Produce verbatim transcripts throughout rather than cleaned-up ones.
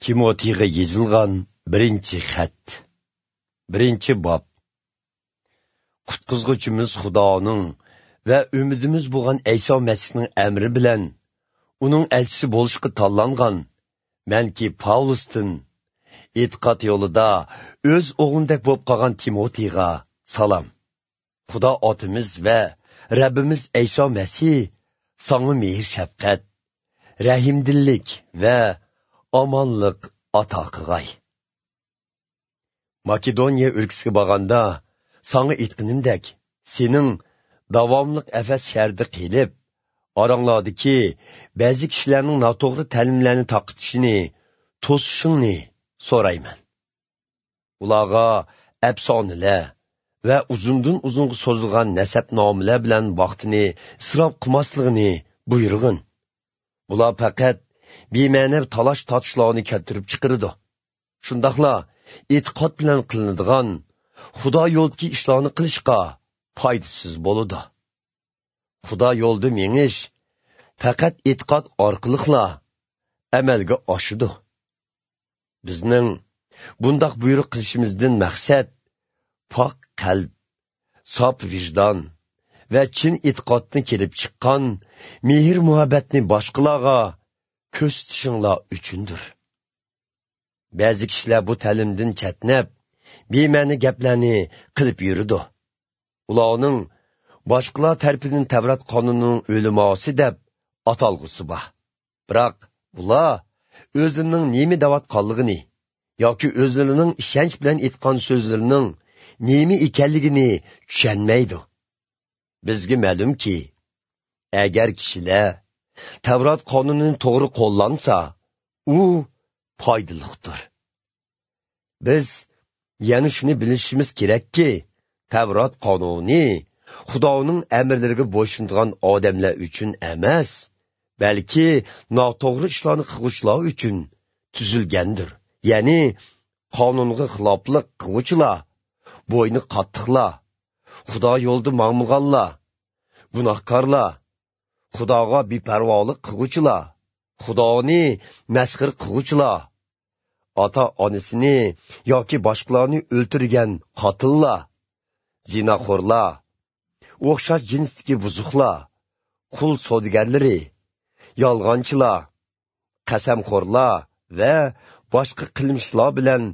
تىموتېيغا يېزىلغان بىرىنچى خەت. بىرىنچى باب. قۇتقۇزغۇچىمىز خۇدانىڭ ۋە ئۈمىدىمىز بولغان ئەيسا مەسىھنىڭ ئەمرى بىلەن ئۇنىڭ ئەلچىسى بولۇشقا تاللانغان مەنكى پاۋلۇستىن، ئېتىقاد يولىدا ئۆز ئوغلۇمدەك بولۇپ قالغان تىموتېيغا سالام. خۇدا ئاتىمىز ۋە رەببىمىز ئەيسا مەسىھ ساڭا مېھىر-شەپقەت، رەھىمدىللىك ۋە ئامانلىق ئاتا قىلغاي. ماكېدونىيە ئۆلكىسىگە بارغاندا، ساڭا ئېيتقىنىمدەك، سېنىڭ داۋاملىق ئەفەس شەھىرىدە قېلىپ، ئاراڭلاردىكى بەزى كىشىلەرنىڭ ناتوغرا تەلىملەرنى تارقىتىشىنى توسۇشۇڭنى سورايمەن. ئۇلارغا ئەپسانىلەر ۋە ئۇزۇندىن ئۇزۇنغا سوزۇلغان نەسەبنامىلەر بىلەن ۋاقتىنى ئىسراپ قىلماسلىقىنى بۇيرۇغىن. بۇلار پەقەت بىمەنە تالاش-تارتىشلارنى كەلتۈرۈپ چىقىرىدۇ. شۇنداقلا ئېتىقاد بىلەن قىلىنىدىغان خۇدا يولىدىكى ئىشلارنى قىلىشقا پايدىسىز بولىدۇ. خۇدا يولىدا مېڭىش پەقەت ئېتىقاد ئارقىلىقلا ئەمەلگە ئاشىدۇ. بىزنىڭ بۇنداق بۇيرۇق قىلىشىمىزدىن مەقسەت پاك قەلب، ساپ ۋىجدان ۋە چىن ئېتىقادتىن كېلىپ چىققان مېھىر-مۇھەببەتنى باشقىلارغا كۆرسىتىشىڭلار ئۈچۈندۇر. بەزى كىشىلەر بۇ تەلىمدىن چەتنەپ، بىمەنە گەپلەرنى قىلىپ يۈرىدۇ. ئۇلارنىڭ باشقىلار تەرىپىدىن تەۋرات قانۇنىنىڭ ئۆلىماسى دەپ ئاتالغۇسى بار. بىراق ئۇلار ئۆزلىرىنىڭ نېمە دەۋاتقانلىقىنى ياكى ئۆزلىرىنىڭ ئىشەنچ بىلەن ئېيتقان سۆزلىرىنىڭ نېمە ئىكەنلىكىنى چۈشەنمەيدۇ. بىزگە مەلۇمكى، ئەگەر كىشىلەر تەۋرات قانۇنىنى توغرا قوللانسا، ئۇ پايدىلىقتۇر. بىز يەنە شۇنى بىلىشىمىز كېرەككى، تەۋرات قانۇنى خۇدانىڭ ئەمىرلىرىگە بويسۇنىدىغان ئادەملەر ئۈچۈن ئەمەس، بەلكى ناتوغرا ئىشلارنى قىلغۇچىلار ئۈچۈن تۈزۈلگەندۇر. يەنى قانۇنغا خىلاپلىق قىلغۇچىلار، بوينى قاتتىقلار، خۇدا يولىدا ماڭمىغانلار، گۇناھكارلار، خۇداغا بىپەرۋالىق قىلغۇچىلار، خۇدانى مەسخىرە قىلغۇچىلار، ئاتا-ئانىسىنى ياكى باشقىلارنى ئۆلتۈرگەن قاتىللار، زىناخورلار، ئوخشاش جىنستىكى بۇزۇقلار، قۇل سودىگەرلىرى، يالغانچىلار، قەسەمخورلار ۋە باشقا قىلمىشلار بىلەن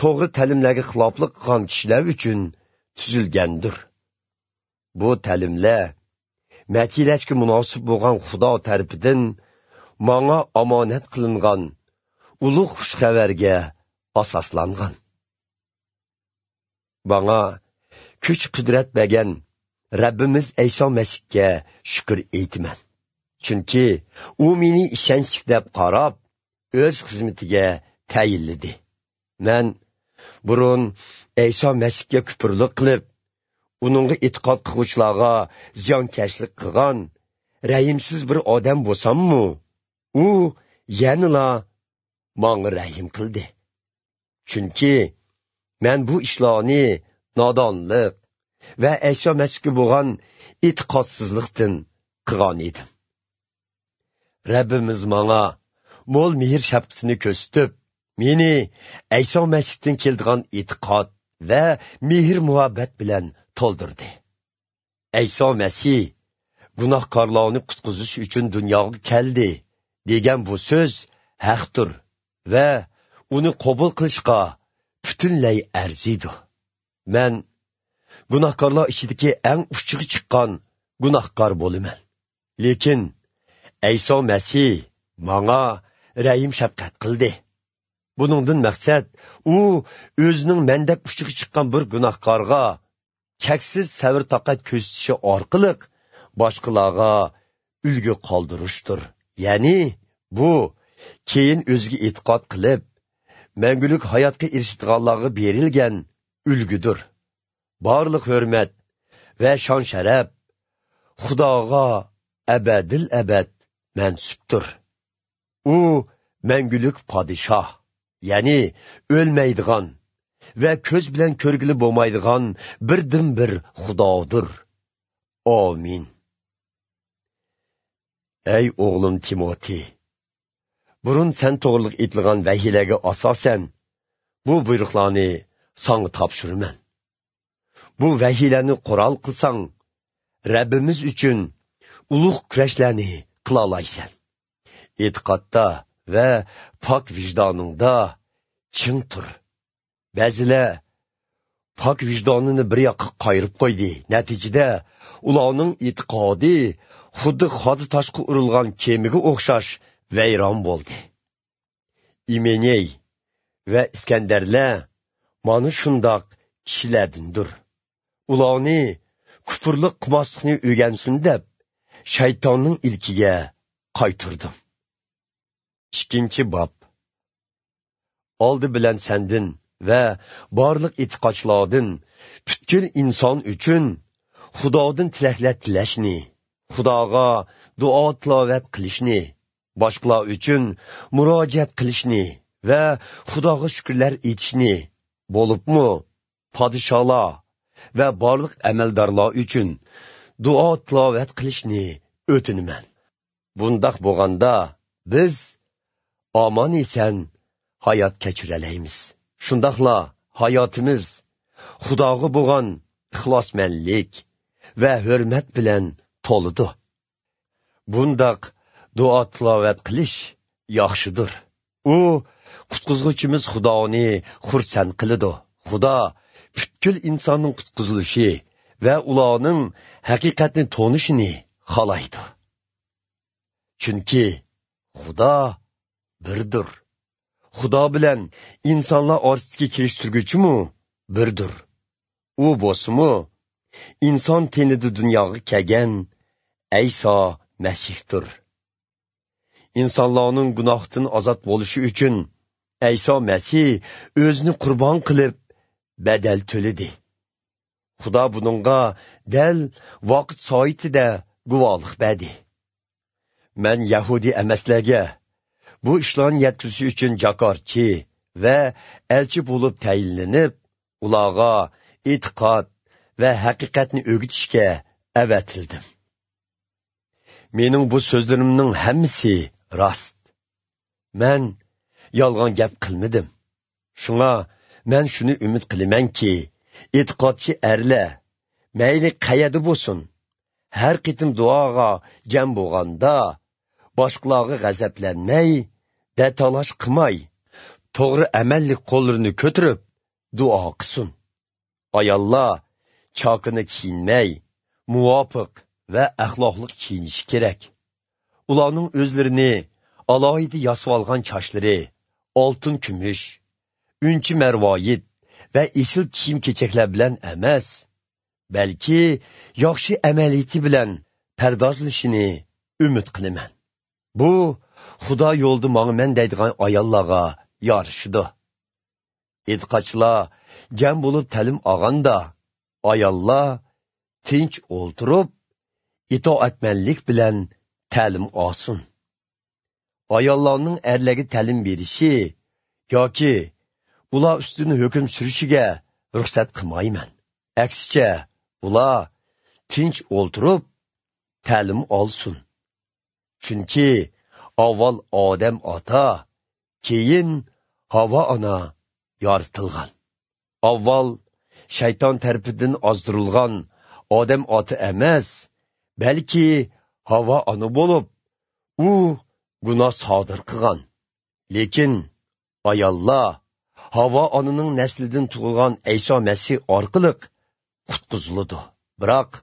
توغرا تەلىملەرگە خىلاپلىق قىلغان كىشىلەر ئۈچۈن تۈزۈلگەندۇر. بۇ تەلىملەر مەتھىيلەشكە مۇناسىپ بولغان خۇدا تەرىپىدىن ماڭا ئامانەت قىلىنغان ئۇلۇغ خۇش خەۋەرگە ئاساسلانغان. ماڭا كۈچ-قۇدرەت بەرگەن رەببىمىز ئەيسا مەسىھكە شۈكۈر ئېيتىمەن. چۈنكى ئۇ مېنى ئىشەنچلىك دەپ قاراپ، ئۆز خىزمىتىگە تەيىنلىدى. مەن بۇرۇن ئەيسا مەسىھكە كۇپۇرلۇق قىلىپ، ئۇنىڭغا ئېتىقاد قىلغۇچىلارغا زىيانكەشلىك قىلغان رەھىمسىز بىر ئادەم بولساممۇ، ئۇ يەنىلا ماڭا رەھىم قىلدى. چۈنكى مەن بۇ ئىشلارنى نادانلىق ۋە ئەيسا مەسىھكە بولغان ئېتىقادسىزلىقتىن قىلغان ئىدىم. رەببىمىز ماڭا مول مېھىر-شەپقىتىنى كۆرسىتىپ، مېنى ئەيسا مەسىھتىن كېلىدىغان ئېتىقاد ۋە مېھىر-مۇھەببەت بىلەن تولدۇردى. ئەيسا مەسىھ گۇناھكارلارنى قۇتقۇزۇش ئۈچۈن دۇنياغا كەلدى دېگەن بۇ سۆز ھەقتۇر ۋە ئۇنى قوبۇل قىلىشقا پۈتۈنلەي ئەرزىيدۇ. مەن گۇناھكارلار ئىچىدىكى ئەڭ ئۇچىغا چىققان گۇناھكار بولىمەن. لېكىن ئەيسا مەسىھ ماڭا رەھىم-شەپقەت قىلدى. بۇنىڭدىن مەقسەت، ئۇ ئۆزىنىڭ مەندەك ئۇچىغا چىققان بىر گۇناھكارغا چەكسىز سەۋر-تاقەت كۆرسىتىشى ئارقىلىق باشقىلارغا ئۈلگە قالدۇرۇشتۇر. يەنى بۇ كېيىن ئۆزىگە ئېتىقاد قىلىپ، مەڭگۈلۈك ھاياتقا ئېرىشىدىغانلارغا بېرىلگەن ئۈلگىدۇر. بارلىق ھۆرمەت ۋە شان-شەرەپ خۇداغا ئەبەدىل ئەبەد مەنسۇپتۇر. ئۇ مەڭگۈلۈك پادىشاھ، يەنى ئۆلمەيدىغان ۋە كۆز بىلەن كۆرگىلى بولمايدىغان بىردىنبىر خۇدادۇر. ئامىن. ئەي ئوغلۇم تىموتېي، بۇرۇن سەن توغرىلىق ئېيتىلغان ۋەھىيلەرگە ئاساسەن، بۇ بۇيرۇقلارنى ساڭا تاپشۇرىمەن. بۇ ۋەھىيلەرنى قورال قىلساڭ، رەببىمىز ئۈچۈن ئۇلۇغ كۈرەشلەرنى قىلالايسەن. ئېتىقادتا ۋە پاك ۋىجدانىڭدا چىڭ تۇر. بەزىلەر پاك ۋىجدانىنى بىر ياققا قايرىپ قويدى. نەتىجىدە، ئۇلارنىڭ ئېتىقادى خۇددى خادا تاشقا ئۇرۇلغان كېمىگە ئوخشاش ۋەيران بولدى. ئىمېنېي ۋە ئىسكەندەرلەر مانا شۇنداق كىشىلەردىندۇر. ئۇلارنى كۇپۇرلۇق قىلماسلىقنى ئۆگەنسۇن دەپ، شەيتاننىڭ ئىلكىگە قايتۇردۇم. ئىككىنچى باب. ئالدى بىلەن سەندىن ۋە بارلىق ئېتىقادچىلاردىن پۈتكۈل ئىنسان ئۈچۈن خۇدادىن تىلەكلەر تىلەشنى، خۇداغا دۇئا تىلاۋەت قىلىشنى، باشقىلار ئۈچۈن مۇراجىئەت قىلىشنى ۋە خۇداغا شۈكۈرلەر ئېيتىشنى، بولۇپمۇ پادىشاھلار ۋە بارلىق ئەمەلدارلار ئۈچۈن دۇئا تىلاۋەت قىلىشنى ئۆتۈنىمەن. بۇنداق بولغاندا، بىز ئامان-ئېسەن ھايات كەچۈرەلەيمىز. شۇنداقلا ھاياتىمىز خۇداغا بولغان ئىخلاسمەنلىك ۋە ھۆرمەت بىلەن تولىدۇ. بۇنداق دۇئا تىلاۋەت قىلىش ياخشىدۇر. ئۇ، قۇتقۇزغۇچىمىز خۇدانى خۇرسەن قىلىدۇ. خۇدا پۈتكۈل ئىنساننىڭ قۇتقۇزۇلۇشى ۋە ئۇلارنىڭ ھەقىقەتنى تونۇشىنى خالايدۇ. چۈنكى خۇدا بىردۇر. خۇدا بىلەن ئىنسانلار ئارىسىدىكى كېلىشتۈرگۈچىمۇ بىردۇر. ئۇ بولسىمۇ ئىنسان تېنىدە دۇنياغا كەلگەن ئەيسا مەسىھتۇر. ئىنسانلارنىڭ گۇناھتىن ئازاد بولۇشى ئۈچۈن ئەيسا مەسىھ ئۆزىنى قۇربان قىلىپ، بەدەل تۆلىدى. خۇدا بۇنىڭغا دەل ۋاقىت سائىتىدە گۇۋاھلىق بەردى. مەن يەھۇدىي ئەمەسلەرگە بۇ ئىشلارنى يەتكۈزۈش ئۈچۈن جاكارچى ۋە ئەلچى بولۇپ تەيىنلىنىپ، ئۇلارغا ئېتىقاد ۋە ھەقىقەتنى ئۆگىتىشكە ئەۋەتىلدىم. مېنىڭ بۇ سۆزلىرىمنىڭ ھەممىسى راست. مەن يالغان گەپ قىلمىدىم. شۇڭا مەن شۇنى ئۈمىد قىلىمەنكى، ئېتىقادچى ئەرلەر، مەيلى قەيەردە بولسۇن، ھەر قېتىم دۇئاغا جەم بولغاندا، باشقىلارغا غەزەپلەنمەي، دەتالاش قىلماي، توغرا ئەمەللىك قوللىرىنى كۆتۈرۈپ دۇئا قىلسۇن. ئاياللار چاكىنا كىيىنمەي، مۇۋاپىق ۋە ئەخلاقلىق كىيىنىشى كېرەك. ئۇلارنىڭ ئۆزلىرىنى ئالاھىدە ياسىۋالغان چاچلىرى، ئالتۇن-كۈمۈش، ئۈنچە-مەرۋايىت ۋە ئېسىل كىيىم-كېچەكلەر بىلەن ئەمەس، بەلكى ياخشى ئەمەلىيىتى بىلەن پەردازلىشىنى ئۈمىد قىلىمەن. بۇ خۇدا يولىدا ماڭىمەن دەيدىغان ئاياللارغا يارىشىدۇ. ئېتىقادچىلار جەم بولۇپ تەلىم ئالغاندا، ئاياللار تىنچ ئولتۇرۇپ، ئىتائەتمەنلىك بىلەن تەلىم ئالسۇن. ئاياللارنىڭ ئەرلەرگە تەلىم بېرىشى ياكى ئۇلار ئۈستىدىن ھۆكۈم سۈرۈشىگە رۇخسەت قىلمايمەن. ئەكسىچە، ئۇلار تىنچ ئولتۇرۇپ تەلىم ئالسۇن. چۈنكى ئاۋۋال ئادەم ئاتا، كېيىن ھاۋا ئانا يارىتىلغان. ئاۋۋال شەيتان تەرىپىدىن ئازدۇرۇلغان ئادەم ئاتا ئەمەس، بەلكى ھاۋا ئانا بولۇپ، ئۇ گۇناھ سادىر قىلغان. لېكىن ئاياللار ھاۋا ئانىنىڭ نەسلىدىن تۇغۇلغان ئەيسا مەسىھ ئارقىلىق قۇتقۇزۇلىدۇ. بىراق،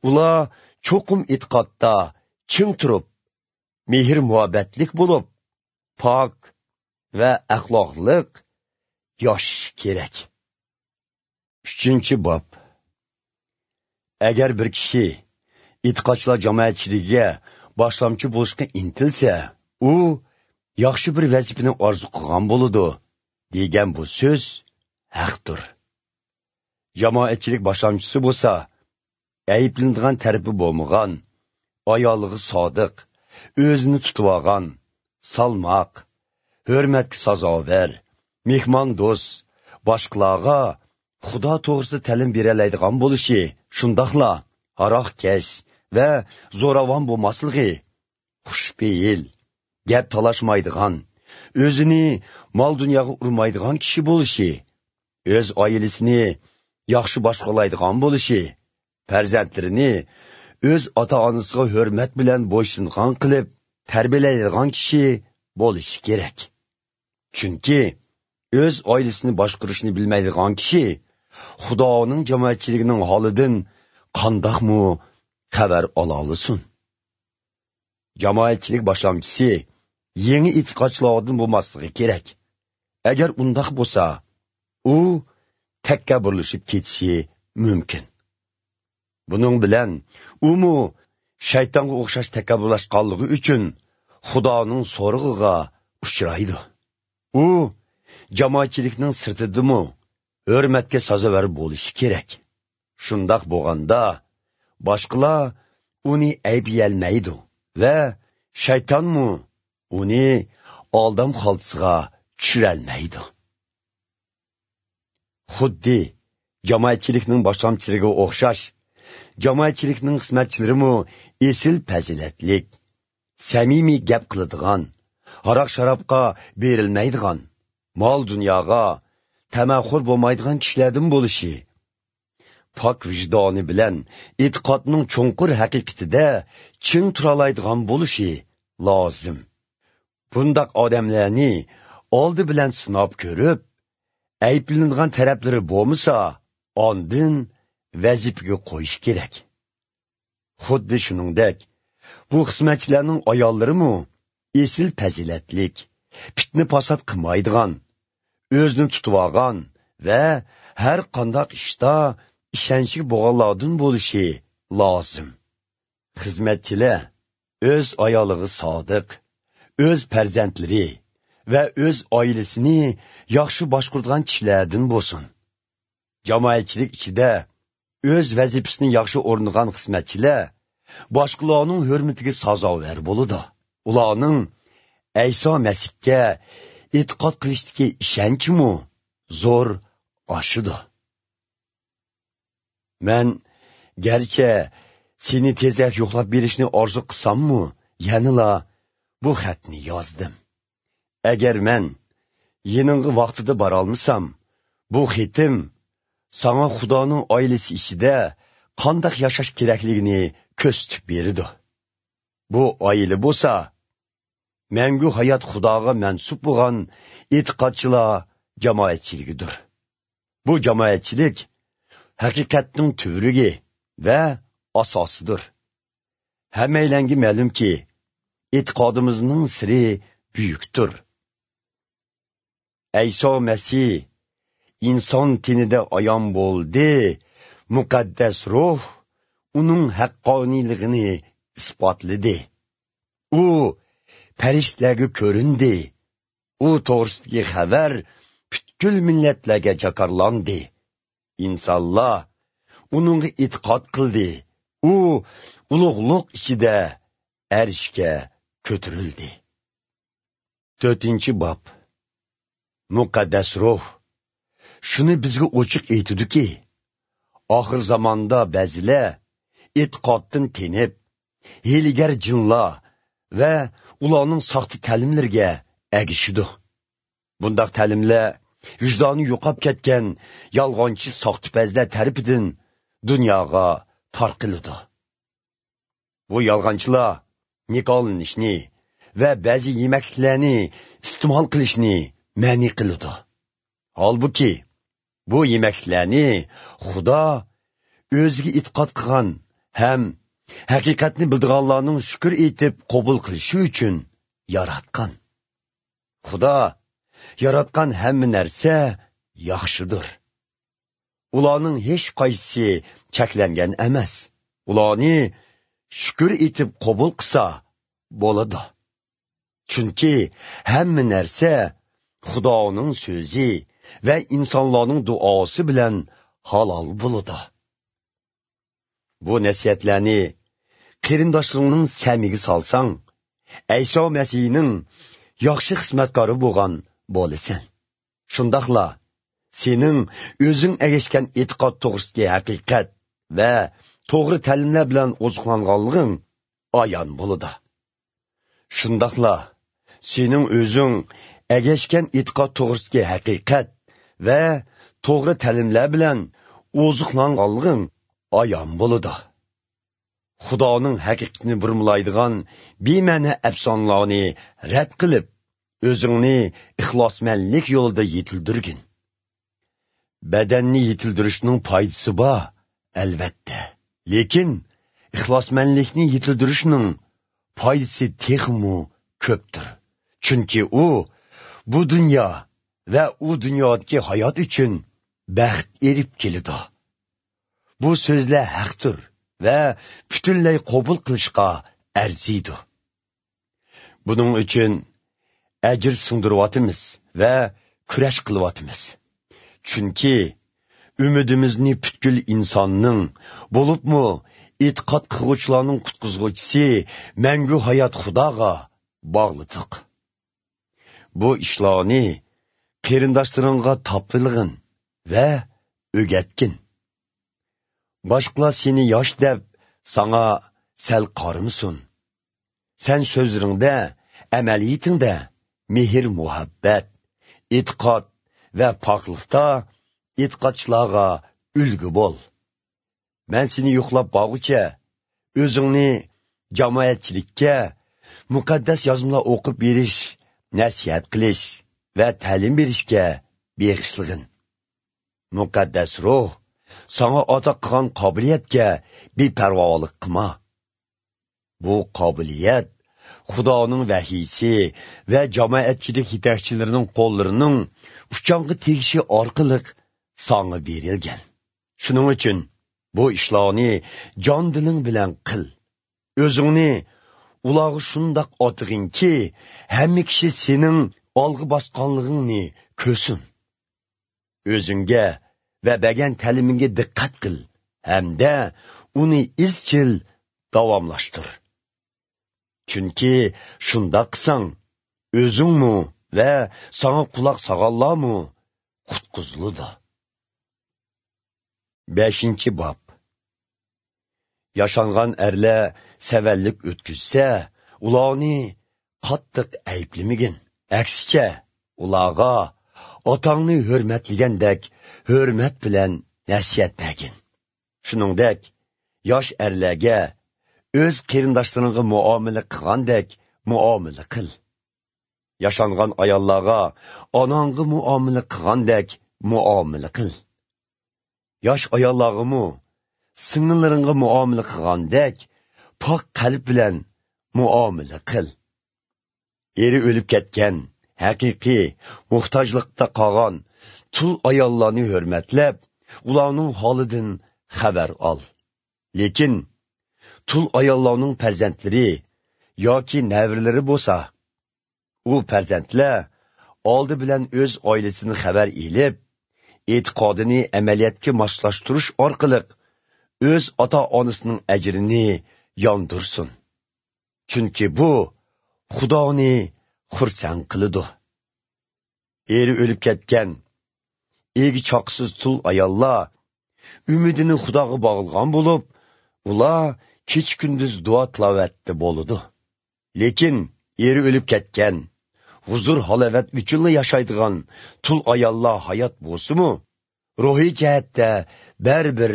ئۇلار چوقۇم ئېتىقادتا چىڭ تۇرۇپ، مېھىر-مۇھەببەتلىك بولۇپ، پاك ۋە ئەخلاقلىق ياشىشى كېرەك. ئۈچىنچى باب. ئەگەر بىر كىشى ئېتىقادچىلار جامائەتچىلىكىگە باشلامچى بولۇشقا ئىنتىلسە، ئۇ ياخشى بىر ۋەزىپىنى ئارزۇ قىلغان بولىدۇ، دېگەن بۇ سۆز ھەقتۇر. جامائەتچىلىك باشلامچىسى بولسا، ئەيىبلىنىدىغان تەرىپى بولمىغان، ئايالىغا سادىق، ئۆزىنى تۇتۇۋالغان، سالماق، ھۆرمەتكە سازاۋەر، مېھماندوست، باشقىلارغا خۇدا توغرىسىدا تەلىم بېرەلەيدىغان بولۇشى، شۇنداقلا ھاراقكەش ۋە زوراۋان بولماسلىقى، خۇشپېئىل، گەپ تالاشمايدىغان، ئۆزىنى مال-دۇنياغا ئۇرمايدىغان كىشى بولۇشى، ئۆز ئائىلىسىنى ياخشى باشقۇرالايدىغان بولۇشى، پەرزەنتلىرىنى ئۆز ئاتا-ئانىسىغا ھۆرمەت بىلەن بويسۇنغان قىلىپ تەربىيەلەيدىغان كىشى بولۇشى كېرەك. چۈنكى ئۆز ئائىلىسىنى باشقۇرۇشنى بىلمەيدىغان كىشى خۇدانىڭ جامائەتچىلىكىنىڭ ھالىدىن قانداقمۇ خەۋەر ئالالىسۇن؟ جامائەتچىلىك باشلامچىسى يېڭى ئېتىقادچىلاردىن بولماسلىقى كېرەك. ئەگەر ئۇنداق بولسا، ئۇ تەكەببۇرلىشىپ كېتىشى مۇمكىن. بۇنىڭ بىلەن ئۇمۇ شەيتانغا ئوخشاش تەكەببۇرلاشقانلىقى ئۈچۈن خۇدانىڭ سورىقىغا ئۇچرايدۇ. ئۇ جامائەتچىلىكنىڭ سىرتىدىمۇ ھۆرمەتكە سازاۋەر بولۇشى كېرەك. شۇنداق بولغاندا، باشقىلار ئۇنى ئەيىبلىيەلمەيدۇ ۋە شەيتانمۇ ئۇنى ئالدام خالتىسىغا چۈشۈرەلمەيدۇ. خۇددى جامائەتچىلىكنىڭ باشلامچىلىرىغا ئوخشاش، جامائەتچىلىكنىڭ خىزمەتچىلىرىمۇ ئېسىل پەزىلەتلىك، سەمىمىي گەپ قىلىدىغان، ھاراق-شارابقا بېرىلمەيدىغان، مال-دۇنياغا تەمەخور بولمايدىغان كىشىلەردىن بولۇشى، پاك ۋىجدانى بىلەن ئېتىقادنىڭ چوڭقۇر ھەقىقىتىدە چىڭ تۇرالايدىغان بولۇشى لازىم. بۇنداق ئادەملەرنى ئالدى بىلەن سىناپ كۆرۈپ، ئەيىبلىنىدىغان تەرەپلىرى بولمىسا، ئاندىن ۋەزىپىگە قويۇش كېرەك. خۇددى شۇنىڭدەك، بۇ خىزمەتچىلەرنىڭ ئاياللىرىمۇ ئېسىل پەزىلەتلىك، پىتنە-پاسات قىلمايدىغان، ئۆزىنى تۇتۇۋالغان ۋە ھەر قانداق ئىشتا ئىشەنچلىك بولغانلاردىن بولۇشى لازىم. خىزمەتچىلەر ئۆز ئايالىغا سادىق، ئۆز پەرزەنتلىرى ۋە ئۆز ئائىلىسىنى ياخشى باشقۇرىدىغان كىشىلەردىن بولسۇن. جامائەتچىلىك ئىچىدە ئۆز ۋەزىپىسىنى ياخشى ئورۇندىغان خىزمەتچىلەر باشقىلارنىڭ ھۆرمىتىگە سازاۋەر بولىدۇ. ئۇلارنىڭ ئەيسا مەسىھكە ئېتىقاد قىلىشتىكى ئىشەنچىمۇ زور ئاشىدۇ. مەن گەرچە سېنى تېزرەك يوقلاپ بېرىشنى ئارزۇ قىلساممۇ، يەنىلا بۇ خەتنى يازدىم. ئەگەر مەن يېنىڭغا ۋاقتىدا بارالمىسام، بۇ خېتىم ساڭا خۇدانىڭ ئائىلىسى ئىچىدە قانداق ياشاش كېرەكلىكىنى كۆرسىتىپ بېرىدۇ. بۇ ئائىلە بولسا مەڭگۈ ھايات خۇداغا مەنسۇپ بولغان ئېتىقادچىلار جامائەتچىلىكىدۇر. بۇ جامائەتچىلىك ھەقىقەتنىڭ تۈۋرۈكى ۋە ئاساسىدۇر. ھەممەيلەنگە مەلۇمكى، ئېتىقادىمىزنىڭ سىرى بۈيۈكتۇر. ئەيسا مەسىھ ئىنسان تېنىدە ئايان بولدى، مۇقەددەس روھ ئۇنىڭ ھەققانىيلىقىنى ئىسپاتلىدى. ئۇ پەرىشتىلەرگە كۆرۈندى. ئۇ توغرىسىدىكى خەۋەر پۈتكۈل مىللەتلەرگە جاكارلاندى. ئىنسانلار ئۇنىڭغا ئېتىقاد قىلدى. ئۇ ئۇلۇغلۇق ئىچىدە ئەرشكە كۆتۈرۈلدى. تۆتىنچى باب. مۇقەددەس روھ شۇنى بىزگە ئوچۇق ئېيتىدۇكى، ئاخىر زاماندا بەزىلەر ئېتىقادتىن تېنىپ، ھىيلىگەر جىنلار ۋە ئۇلارنىڭ ساختا تەلىملىرىگە ئەگىشىدۇ. بۇنداق تەلىملەر ۋىجدانى يوقاپ كەتكەن يالغانچى ساختىپەزلەر تەرىپىدىن دۇنياغا تارقىلىدۇ. بۇ يالغانچىلار نىكاھلىنىشنى ۋە بەزى يېمەكلىكلەرنى ئىستېمال قىلىشنى مەنئى قىلىدۇ. ھالبۇكى، بۇ يېمەكلىكلەرنى خۇدا ئۆزىگە ئېتىقاد قىلغان ھەم ھەقىقەتنى بىلىدىغانلارنىڭ شۈكۈر ئېيتىپ قوبۇل قىلىشى ئۈچۈن ياراتقان. خۇدا ياراتقان ھەممە نەرسە ياخشىدۇر. ئۇلارنىڭ ھېچقايسىسى چەكلەنگەن ئەمەس. ئۇلارنى شۈكۈر ئېيتىپ قوبۇل قىلسا بولىدۇ. چۈنكى ھەممە نەرسە خۇدانىڭ سۆزى ۋە ئىنسانلارنىڭ دۇئاسى بىلەن ھالال بولىدۇ. بۇ نەسىھەتلەرنى قېرىنداشلىرىڭنىڭ سەمىگە سالساڭ، ئەيسا مەسىھنىڭ ياخشى خىزمەتكارى بولغان بولىسەن. شۇنداقلا سېنىڭ ئۆزۈڭ ئەگەشكەن ئېتىقاد توغرىسىدىكى ھەقىقەت ۋە توغرا تەلىملەر بىلەن ئوزۇقلانغانلىقىڭ ئايان بولىدۇ. شۇنداقلا سېنىڭ ئۆزۈڭ ئەگەشكەن ئېتىقاد توغرىسىدىكى ھەقىقەت ۋە توغرا تەلىملەر بىلەن ئوزۇقلانغانلىقىڭ ئايان بولىدۇ. خۇدانىڭ ھەقىقىتىنى بۇرمىلايدىغان بىمەنە ئەپسانىلارنى رەت قىلىپ، ئۆزۈڭنى ئىخلاسمەنلىك يولىدا يېتىلدۈرگىن. بەدەننى يېتىلدۈرۈشنىڭ پايدىسى بار، ئەلۋەتتە. لېكىن ئىخلاسمەنلىكنى يېتىلدۈرۈشنىڭ پايدىسى تېخىمۇ كۆپتۇر. چۈنكى ئۇ بۇ دۇنيا ۋە ئۇ دۇنيادىكى ھايات ئۈچۈن بەخت ئېلىپ كېلىدۇ. بۇ سۆزلەر ھەقتۇر ۋە پۈتۈنلەي قوبۇل قىلىشقا ئەرزىيدۇ. بۇنىڭ ئۈچۈن ئەجىر سىڭدۈرۈۋاتىمىز ۋە كۈرەش قىلىۋاتىمىز. چۈنكى ئۈمىدىمىزنى پۈتكۈل ئىنساننىڭ، بولۇپمۇ ئېتىقاد قىلغۇچىلارنىڭ قۇتقۇزغۇچىسى، مەڭگۈ ھايات خۇداغا باغلىدۇق. بۇ ئىشلارنى قېرىنداشلىرىڭغا تاپىلىغىن ۋە ئۆگەتكىن. باشقىلار سېنى ياش دەپ ساڭا سەل قارىمىسۇن. سەن سۆزلىرىڭدە، ئەمەلىيىتىڭدە مېھىر-مۇھەببەت، ئېتىقاد ۋە پاكلىقتا ئېتىقادچىلارغا ئۈلگە بول. مەن سېنى يوقلاپ بارغۇچە، ئۆزۈڭنى جامائەتچىلىككە مۇقەددەس يازمىلار ئوقۇپ بېرىش، نەسىھەت قىلىش ۋە تەلىم بېرىشكە بېغىشلىغىن. مۇقەددەس روھ ساڭا ئاتا قىلغان قابىلىيەتكە بىپەرۋالىق قىلما. بۇ قابىلىيەت خۇدانىڭ ۋەھىيسى ۋە جامائەتچىلىك يېتەكچىلىرىنىڭ قوللىرىنىڭ ئۇچاڭغا تېگىشى ئارقىلىق ساڭا بېرىلگەن. شۇنىڭ ئۈچۈن بۇ ئىشلارنى جان-دىلىڭ بىلەن قىل. ئۆزۈڭنى ئۇلارغا شۇنداق ئاتىغىنكى، ھەممە كىشى سېنىڭ ئالغا باسقانلىقىڭنى كۆرسۇن. ئۆزۈڭگە ۋە بەرگەن تەلىمىڭگە دىققەت قىل ھەمدە ئۇنى ئىزچىل داۋاملاشتۇر. چۈنكى شۇنداق قىلساڭ، ئۆزۈڭمۇ ۋە ساڭا قۇلاق سالغانلارمۇ قۇتقۇزۇلىدۇ. بەشىنچى باب. ياشانغان ئەرلەر سەۋەنلىك ئۆتكۈزسە، ئۇلارنى قاتتىق ئەيىبلىمىگىن. ئەكسىچە، ئۇلارغا ئاتاڭنى ھۆرمەتلىگەندەك ھۆرمەت بىلەن نەسىھەت بەرگىن. شۇنىڭدەك، ياش ئەرلەرگە ئۆز قېرىنداشلىرىڭغا مۇئامىلە قىلغاندەك مۇئامىلە قىل. ياشانغان ئاياللارغا ئاناڭغا مۇئامىلە قىلغاندەك مۇئامىلە قىل. ياش ئاياللارغىمۇ سىڭىللىرىڭغا مۇئامىلە قىلغاندەك پاك قەلب بىلەن مۇئامىلە قىل. ئېرى ئۆلۈپ كەتكەن، ھەقىقىي موھتاجلىقتا قالغان تۇل ئاياللارنى ھۆرمەتلەپ، ئۇلارنىڭ ھالىدىن خەۋەر ئال. لېكىن تۇل ئاياللارنىڭ پەرزەنتلىرى ياكى نەۋرىلىرى بولسا، ئۇ پەرزەنتلەر ئالدى بىلەن ئۆز ئائىلىسىدىن خەۋەر ئېلىپ، ئېتىقادىنى ئەمەلىيەتكە ماسلاشتۇرۇش ئارقىلىق ئۆز ئاتا-ئانىسىنىڭ ئەجرىنى ياندۇرسۇن. چۈنكى بۇ خۇدانى خۇرسەن قىلىدۇ. ئېرى ئۆلۈپ كەتكەن، ئېگى چاقىسىز تۇل ئاياللار ئۈمىدىنى خۇداغا باغلىغان بولۇپ، ئۇلار كېچە-كۈندۈز دۇئا-تىلاۋەتتە بولىدۇ. لېكىن ئېرى ئۆلۈپ كەتكەن، ھۇزۇر-ھالاۋەت ئۈچۈنلا ياشايدىغان تۇل ئاياللار ھايات بولسىمۇ، روھىي جەھەتتە بەرىبىر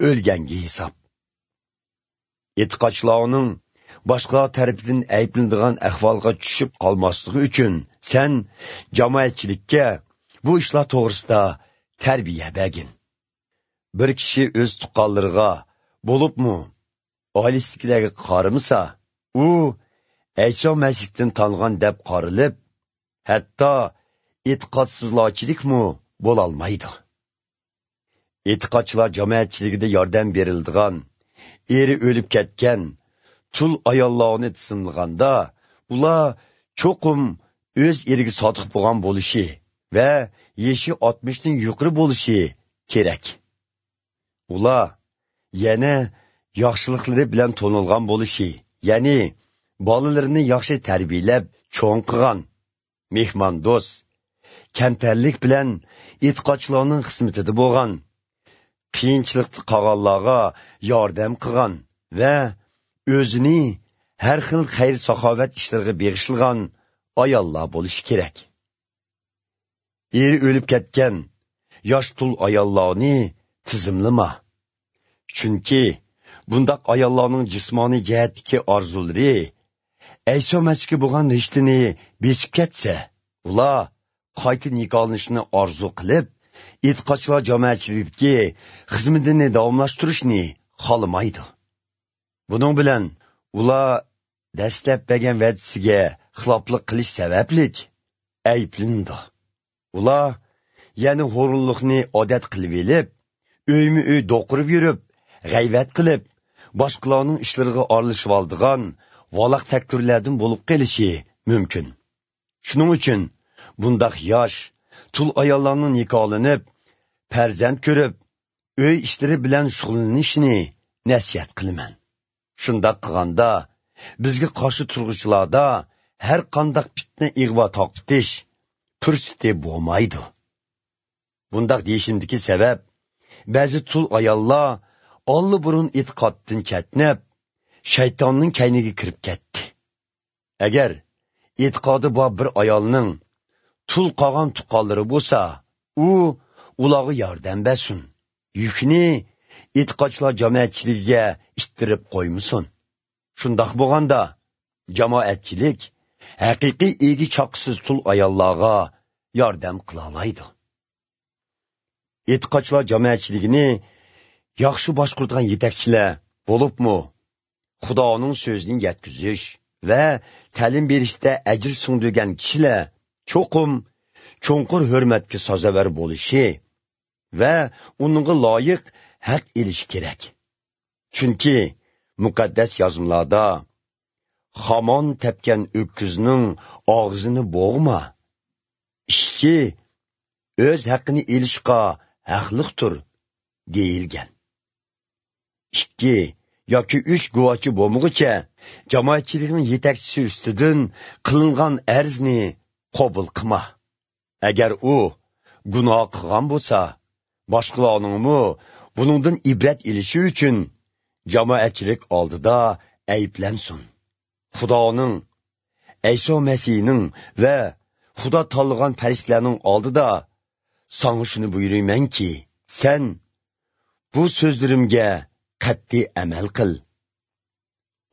ئۆلگەنگە ھېساب. ئېتىقادچىلارنىڭ باشقىلار تەرىپىدىن ئەيىبلىنىدىغان ئەھۋالغا چۈشۈپ قالماسلىقى ئۈچۈن، سەن جامائەتچىلىككە بۇ ئىشلار توغرىسىدا تەربىيە بەرگىن. بىر كىشى ئۆز تۇغقانلىرىغا، بولۇپمۇ ئائىلىسىدىكىلەرگە قارىمىسا، ئۇ ئەيسا مەسىھتىن تانغان دەپ قارىلىپ، ھەتتا ئېتىقادسىزلارچىلىكمۇ بولالمايدۇ. ئېتىقادچىلار جامائەتچىلىكىدە ياردەم بېرىلىدىغان، ئېرى ئۆلۈپ كەتكەن تۇل ئاياللارنى تىزىملىغاندا، ئۇلار چوقۇم ئۆز ئېرىگە سادىق بولغان بولۇشى ۋە يېشى ئاتمىشتىن يۇقىرى بولۇشى كېرەك. ئۇلار يەنە ياخشىلىقلىرى بىلەن تونۇلغان بولۇشى، يەنى بالىلىرىنى ياخشى تەربىيەلەپ چوڭ قىلغان، مېھماندوست، كەمتەرلىك بىلەن ئېتىقادچىلارنىڭ خىزمىتىدە بولغان، قىيىنچىلىقتا قالغانلارغا ياردەم قىلغان ۋە ئۆزىنى ھەر خىل خەير-ساخاۋەت ئىشلىرىغا بېغىشلىغان ئاياللار بولۇشى كېرەك. ئېرى ئۆلۈپ كەتكەن ياش تۇل ئاياللارنى تىزىملىما. چۈنكى بۇنداق ئاياللارنىڭ جىسمانىي جەھەتتىكى ئارزۇلىرى ئەيسا مەسىھكە بولغان رىشتىنى بېسىپ كەتسە، ئۇلار قايتا نىكاھلىنىشنى ئارزۇ قىلىپ، ئېتىقادچىلار جامائەتچىلىكىدىكى خىزمىتىنى داۋاملاشتۇرۇشنى خالىمايدۇ. بۇنىڭ بىلەن ئۇلار دەسلەپ بەرگەن ۋەدىسىگە خىلاپلىق قىلىش سەۋەبلىك ئەيىبلىنىدۇ. ئۇلار يەنە ھۇرۇنلۇقنى ئادەت قىلىۋېلىپ، ئۆيمۇ ئۆي دوقۇرۇپ يۈرۈپ، غەيۋەت قىلىپ، باشقىلارنىڭ ئىشلىرىغا ئارىلىشىۋالىدىغان ۋالاق تەكتۈرلەردىن بولۇپ قېلىشى مۇمكىن. شۇنىڭ ئۈچۈن بۇنداق ياش، تۇل ئاياللارنىڭ نىكاھلىنىپ، پەرزەنت كۆرۈپ، ئۆي ئىشلىرى بىلەن شۇغۇللىنىشىنى نەسىھەت قىلىمەن. شۇنداق قىلغاندا، بىزگە قارشى تۇرغۇچىلاردا ھەر قانداق پىتنە ئىغۋا تارقىتىش پۇرسىتى بولمايدۇ. بۇنداق دېيىشىمدىكى سەۋەب، بەزى تۇل ئاياللار ئاللىبۇرۇن ئېتىقادتىن چەتنەپ، شەيتاننىڭ كەينىگە كىرىپ كەتتى. ئەگەر ئېتىقادى بار بىر ئايالنىڭ تۇل قالغان تۇغقانلىرى بولسا، ئۇ ئۇلارغا ياردەم بەرسۇن. يۈكنى ئېتىقادچىلار جامائەتچىلىكىگە ئىتتىرىپ قويمىسۇن. شۇنداق بولغاندا، جامائەتچىلىك ھەقىقىي ئىگە چاققۇسىز تۇل ئاياللارغا ياردەم قىلالايدۇ. ئېتىقادچىلار جامائەتچىلىكىنى ياخشى باشقۇرىدىغان يېتەكچىلەر، بولۇپمۇ خۇدانىڭ سۆزىنى يەتكۈزۈش ۋە تەلىم بېرىشتە ئەجىر سىڭدۈرگەن كىشىلەر چوقۇم چوڭقۇر ھۆرمەتكە سازاۋەر بولۇشى ۋە ئۇنىڭغا لايىق ھەق ئېلىشى كېرەك. چۈنكى مۇقەددەس يازمىلاردا، «خامان تەپكەن ئۆكۈزنىڭ ئاغزىنى بوغما. ئىشچى ئۆز ھەققىنى ئېلىشقا ھەقلىقتۇر» دېيىلگەن. ئىككى ياكى ئۈچ گۇۋاھچى بولمىغۇچە، جامائەتچىلىكنىڭ يېتەكچىسى ئۈستىدىن قىلىنغان ئەرزنى قوبۇل قىلما. ئەگەر ئۇ گۇناھ قىلغان بولسا، باشقىلارنىڭمۇ بۇنىڭدىن ئىبرەت ئېلىشى ئۈچۈن جامائەتچىلىك ئالدىدا ئەيىبلەنسۇن. خۇدانىڭ، ئەيسا مەسىھنىڭ ۋە خۇدا تاللىغان پەرىشتىلەرنىڭ ئالدىدا ساڭا شۇنى بۇيرۇيمەنكى، سەن بۇ سۆزلىرىمگە قەتئىي ئەمەل قىل.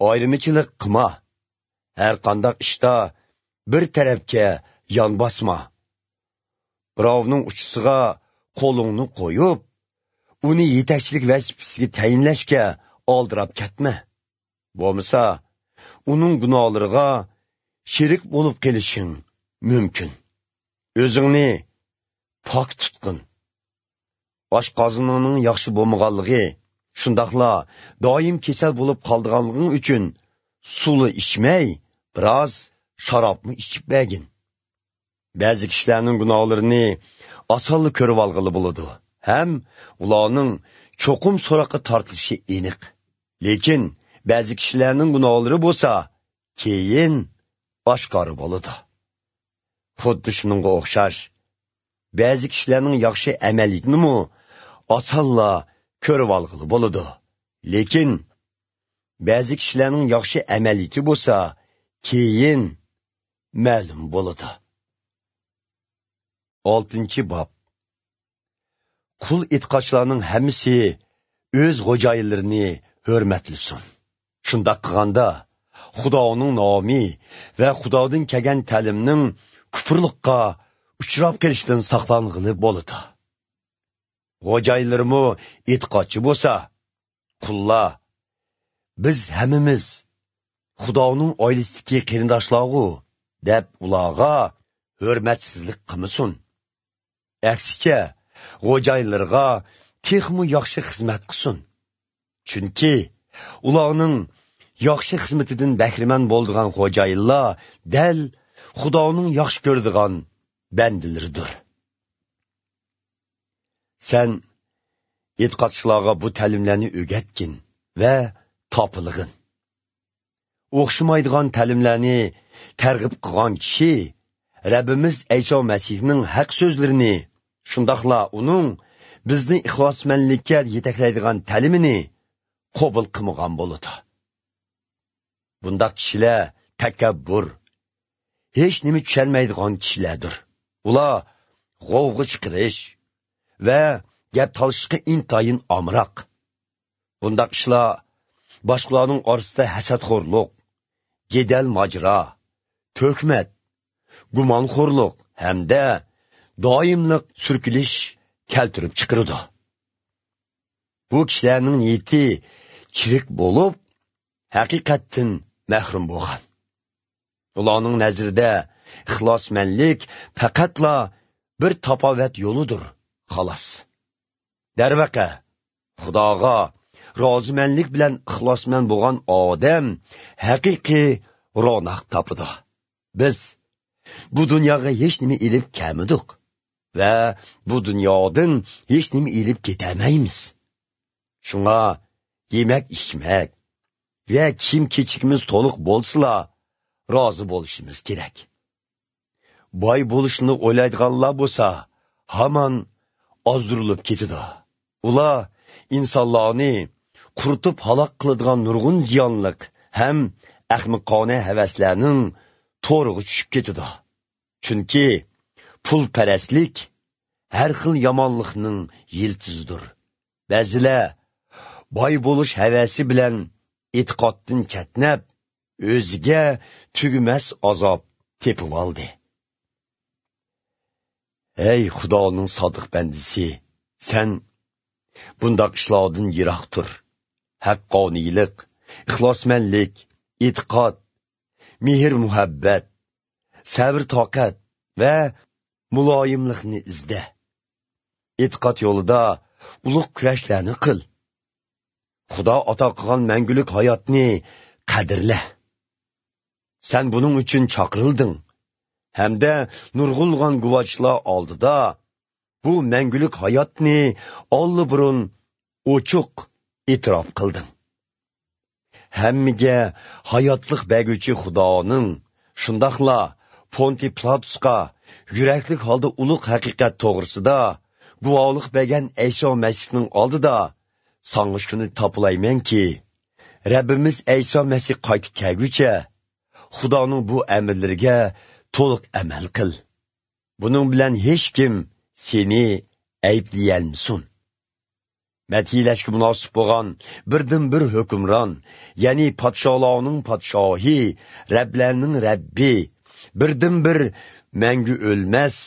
ئايرىمىچىلىق قىلما. ھەر قانداق ئىشتا بىر تەرەپكە يان باسما. بىراۋنىڭ ئۇچىسىغا قولۇڭنى قويۇپ، ئۇنى يېتەكچىلىك ۋەزىپىسىگە تەيىنلەشكە ئالدىراپ كەتمە. بولمىسا، ئۇنىڭ گۇناھلىرىغا شېرىك بولۇپ قېلىشىڭ مۇمكىن. ئۆزۈڭنى پاك تۇتقىن. ئاشقازىنىڭنىڭ ياخشى بولمىغانلىقى، شۇنداقلا دائىم كېسەل بولۇپ قالىدىغانلىقىڭ ئۈچۈن سۇلا ئىچمەي، بىراز شارابمۇ ئىچىپ بەرگىن. بەزى كىشىلەرنىڭ گۇناھلىرىنى ئاسانلا كۆرۈۋالغىلى بولىدۇ ھەم ئۇلارنىڭ چوقۇم سوراققا تارتىلىشى ئېنىق. لېكىن بەزى كىشىلەرنىڭ گۇناھلىرى بولسا كېيىن ئاشكارا بولىدۇ. خۇددى شۇنىڭغا ئوخشاش، بەزى كىشىلەرنىڭ ياخشى ئەمەلىيىتىنىمۇ ئاسانلا كۆرۈۋالغىلى بولىدۇ. لېكىن بەزى كىشىلەرنىڭ ياخشى ئەمەلىيىتى بولسا كېيىن مەلۇم بولىدۇ. ئالتىنچى باب. قۇل ئېتىقادچىلارنىڭ ھەممىسى ئۆز خوجايىنلىرىنى ھۆرمەتلىسۇن. شۇنداق قىلغاندا، خۇدانىڭ نامى ۋە خۇدادىن كەلگەن تەلىمنىڭ كۇپۇرلۇققا ئۇچراپ قېلىشىدىن ساقلانغىلى بولىدۇ. خوجايىنلىرىمۇ ئېتىقادچى بولسا، قۇللار، «بىز ھەممىمىز خۇدانىڭ ئائىلىسىدىكى قېرىنداشلارغۇ» دەپ ئۇلارغا ھۆرمەتسىزلىك قىلمىسۇن. ئەكسىچە، خوجايىنلىرىغا تېخىمۇ ياخشى خىزمەت قىلسۇن. چۈنكى ئۇلارنىڭ ياخشى خىزمىتىدىن بەھرىمەن بولىدىغان خوجايىنلار دەل خۇدانىڭ ياخشى كۆرىدىغان بەندىلىرىدۇر. سەن ئېتىقادچىلارغا بۇ تەلىملەرنى ئۆگەتكىن ۋە تاپىلىغىن. ئوخشىمايدىغان تەلىملەرنى تەرغىب قىلغان كىشى رەببىمىز ئەيسا مەسىھنىڭ ھەق سۆزلىرىنى، شۇنداقلا ئۇنىڭ بىزنى ئىخلاسمەنلىككە يېتەكلەيدىغان تەلىمىنى قوبۇل قىلمىغان بولىدۇ. بۇنداق كىشىلەر تەكەببۇر، ھېچنېمە چۈشەنمەيدىغان كىشىلەردۇر. ئۇلار غوۋغا چىقىرىش ۋە گەپ تالىشىشقا ئىنتايىن ئامراق. بۇنداق ئىشلار باشقىلارنىڭ ئارىسىدا ھەسەتخورلۇق، جېدەل ماجىرا، تۆھمەت، گۇمانخورلۇق ھەمدە دائىملىق سۈركىلىش كەلتۈرۈپ چىقىرىدۇ. بۇ كىشىلەرنىڭ نىيىتى چىرىك بولۇپ، ھەقىقەتتىن مەھرۇم بولغان. ئۇلارنىڭ نەزىرىدە ئىخلاسمەنلىك پەقەتلا بىر تاپاۋەت يولىدۇر، خالاس. دەرۋەقە، خۇداغا رازىمەنلىك بىلەن ئىخلاسمەن بولغان ئادەم ھەقىقىي روناق تاپىدۇ. بىز بۇ دۇنياغا ھېچنېمە ئېلىپ كەلمىدۇق ۋە بۇ دۇنيادىن ھېچنېمە ئېلىپ كېتەلمەيمىز. شۇڭا يېمەك-ئىچمەك ۋە كىيىم-كېچىكىمىز تولۇق بولسىلا، رازى بولۇشىمىز كېرەك. باي بولۇشنى ئويلايدىغانلار بولسا، ھامان ئازدۇرۇلۇپ كېتىدۇ. ئۇلار ئىنسانلارنى قۇرۇتۇپ ھالاك قىلىدىغان نۇرغۇن زىيانلىق ھەم ئەخمىقانە ھەۋەسلەرنىڭ تورىغا چۈشۈپ كېتىدۇ. چۈنكى پۇلپەرەسلىك ھەر خىل يامانلىقنىڭ يىلتىزىدۇر. بەزىلەر باي بولۇش ھەۋەسى بىلەن ئېتىقادتىن چەتنەپ، ئۆزىگە تۈگىمەس ئازاب تېپىۋالدى. ھەي خۇدانىڭ سادىق بەندىسى، سەن بۇنداق ئىشلاردىن يىراق تۇر. ھەققانىيلىق، ئىخلاسمەنلىك، ئېتىقاد، مېھىر-مۇھەببەت، سەۋر-تاقەت ۋە مۇلايىملىقنى ئىزدە. ئېتىقاد يولىدا ئۇلۇغ كۈرەشلەرنى قىل. خۇدا ئاتا قىلغان مەڭگۈلۈك ھاياتنى قەدىرلە. سەن بۇنىڭ ئۈچۈن چاقىرىلدىڭ ھەمدە نۇرغۇنلىغان گۇۋاھچىلار ئالدىدا بۇ مەڭگۈلۈك ھاياتنى ئاللىبۇرۇن ئوچۇق ئېتىراپ قىلدىڭ. ھەممىگە ھاياتلىق بەرگۈچى خۇدانىڭ، شۇنداقلا پونتىي پىلاتۇسقا يۈرەكلىك ھالدا ئۇلۇغ ھەقىقەت توغرىسىدا گۇۋاھلىق بەرگەن ئەيسا مەسىھنىڭ ئالدىدا ساڭا شۇنى تاپىلايمەنكى، رەببىمىز ئەيسا مەسىھ قايتىپ كەلگۈچە خۇدانىڭ بۇ ئەمىرلىرىگە تولۇق ئەمەل قىل. بۇنىڭ بىلەن ھېچكىم سېنى ئەيىبلىيەلمىسۇن. مەدھىيلەشكە مۇناسىپ بولغان بىردىنبىر ھۆكۈمران، يەنى پادىشاھلارنىڭ پادىشاھى، رەبلەرنىڭ رەببى، بىردىنبىر مەڭگۈ ئۆلمەس،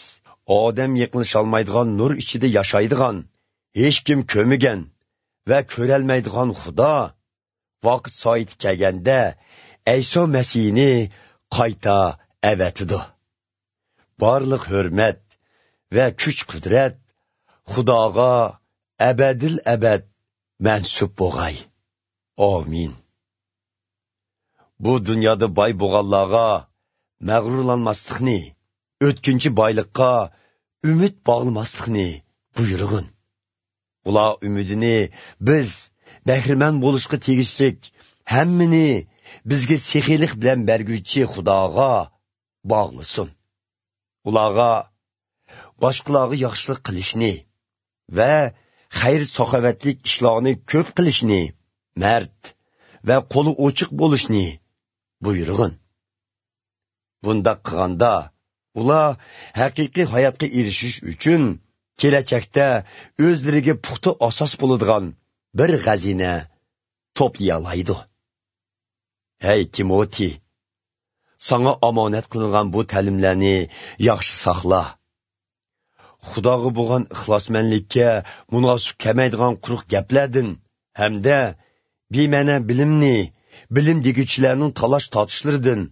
ئادەم يېقىنلىشالمايدىغان نۇر ئىچىدە ياشايدىغان، ھېچكىم كۆرمىگەن ۋە كۆرەلمەيدىغان خۇدا ۋاقىت سائىتى كەلگەندە ئەيسا مەسىھنى قايتا ئەۋەتىدۇ. بارلىق ھۆرمەت ۋە كۈچ-قۇدرەت خۇداغا ئەبەدىل ئەبەد مەنسۇپ بولغاي. ئامىن. بۇ دۇنيادا باي بولغانلارغا مەغرۇرلانماسلىقنى، ئۆتكۈنچى بايلىققا ئۈمىد باغلىماسلىقنى بۇيرۇغىن. ئۇلار ئۈمىدىنى بىز بەھرىمەن بولۇشقا تېگىشلىك ھەممىنى بىزگە سېخىيلىق بىلەن بەرگۈچى خۇداغا باغلىسۇن. ئۇلارغا باشقىلارغا ياخشىلىق قىلىشنى ۋە خەير-ساخاۋەتلىك ئىشلارنى كۆپ قىلىشنى، مەرد ۋە قولى ئوچۇق بولۇشنى بۇيرۇغىن. بۇنداق قىلغاندا، ئۇلار ھەقىقىي ھاياتقا ئېرىشىش ئۈچۈن كېلەچەكتە ئۆزلىرىگە پۇختا ئاساس بولىدىغان بىر خەزىنە توپلىيالايدۇ. ھەي تىموتىي، ساڭا ئامانەت قىلىنغان بۇ تەلىملەرنى ياخشى ساقلا. خۇداغا بولغان ئىخلاسمەنلىككە مۇناسىپ كەلمەيدىغان قۇرۇق گەپلەردىن ھەمدە بىمەنە بىلىمنى، بىلىم دېگۈچىلەرنىڭ تالاش-تارتىشلىرىدىن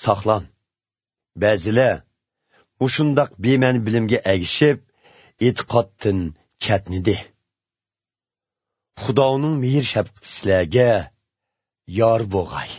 ساقلان. بەزىلەر مۇشۇنداق بىمەنە بىلىمگە ئەگىشىپ، ئېتىقادتىن چەتنىدى. خۇدانىڭ مېھىر-شەپقىتى سىلەرگە يار بولغاي.